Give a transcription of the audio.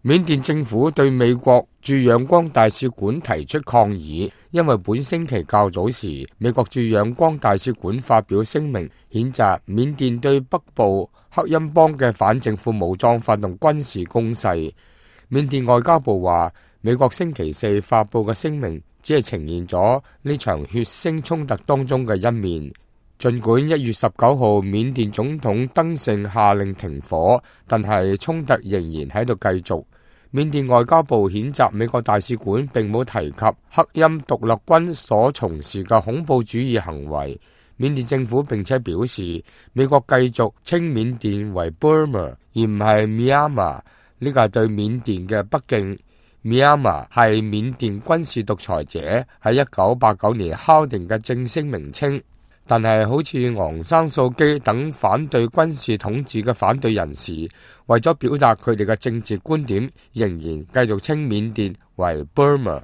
緬甸政府對美國駐仰光大使館提出抗議，因為本星期較早時，美國駐仰光大使館發表聲明，譴責緬甸對北部克欽邦嘅反政府武裝發動軍事攻勢。緬甸外交部話，美國星期四發布嘅聲明只係呈現咗呢場血腥衝突當中嘅一面。儘管1月19號緬甸總統登盛下令停火，但係衝突仍然喺度繼續。緬甸外交部譴責美國大使館並冇提及克欽獨立軍所從事嘅恐怖主義行為。緬甸政府並且表示，美國繼續稱緬甸為 Burma 而唔係 Myanmar， 呢個係對緬甸嘅不敬。Myanmar 係緬甸軍事獨裁者喺1989年敲定嘅正式名稱。但係好似昂山素基等反對軍事統治嘅反對人士，為咗表達佢哋嘅政治觀點，仍然繼續稱緬甸為 Burma。